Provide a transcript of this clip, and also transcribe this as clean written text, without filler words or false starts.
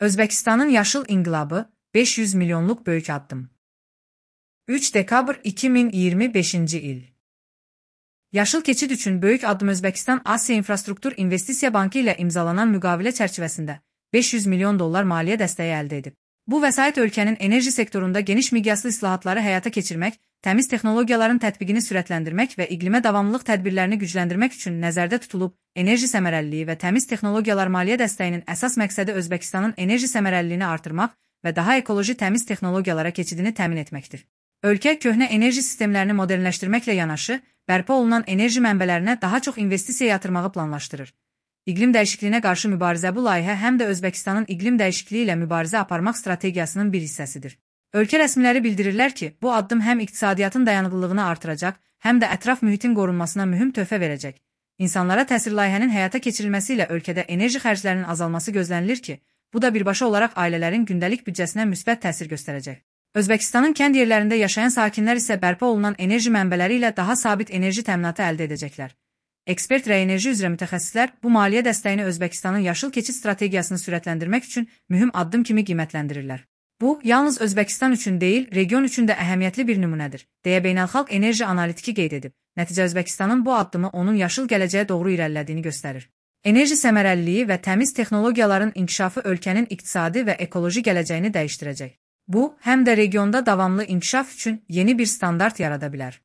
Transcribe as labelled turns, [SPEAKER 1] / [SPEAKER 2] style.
[SPEAKER 1] Özbekistanın yaşıl inqilabı 500 milyonluq böyük addım. 3 dekabr 2025 il. Yaşıl keçid üçün böyük addım Özbekistan Asiya İnfrastruktur İnvestisiya Bankı ilə imzalanan müqavilə çərçivəsində 500 milyon dollar maliyyə dəstəyi əldə edib. Bu vəsait ölkənin enerji sektorunda geniş miqyaslı islahatları həyata keçirmək, təmiz texnologiyaların tətbiqini sürətləndirmək və iqlimə davamlılıq tədbirlərini gücləndirmək üçün nəzərdə tutulub. Enerji səmərəliliyi və təmiz texnologiyalar maliyyə dəstəyinin əsas məqsədi Özbekistanın enerji səmərəliliyini artırmaq və daha ekoloji təmiz texnologiyalara keçidini təmin etməkdir. Ölkə köhnə enerji sistemlərini modernləşdirməklə yanaşı, bərpa olunan enerji mənbələrinə daha çox investisiya yatırmağı planlaşdırır. İqlim dəyişikliyinə qarşı mübarizə bu layihə həm də Özbekistanın iqlim dəyişikliyi ilə mübarizə aparmaq strategiyasının bir hissəsidir. Ölkə rəsmiləri bildirirlər ki, bu addım həm iqtisadiyyatın dayanıqlılığını artıracaq, həm də ətraf mühitin qorunmasına mühüm töhfə verəcək. İnsanlara təsir layihənin həyata keçirilməsi ilə ölkədə enerji xərclərinin azalması gözlənilir ki, bu da birbaşa olaraq ailələrin gündəlik büdcəsinə müsbət təsir göstərəcək. Özbekistanın kənd yerlərində yaşayan sakinlər isə bərpa olunan enerji mənbələri ilə daha sabit enerji təminatı əldə edəcəklər. Ekspert və enerji üzrə mütəxəssislər bu maliyyə dəstəyini Özbekistanın yaşıl keçid strategiyasını sürətləndirmək üçün mühüm addım kimi qiymətləndirirlər. Bu, yalnız Özbekistan üçün deyil, region üçün də əhəmiyyətli bir nümunədir, deyə beynəlxalq enerji analitiki qeyd edib. Nəticə Özbekistanın bu addımı onun yaşıl gələcəyə doğru irəlilədiyini göstərir. Enerji səmərəliliyi və təmiz texnologiyaların inkişafı ölkənin iqtisadi və ekoloji gələcəyini dəyişdirəcək. Bu, həm də regionda davamlı inkişaf üçün yeni bir standart yarada bilər.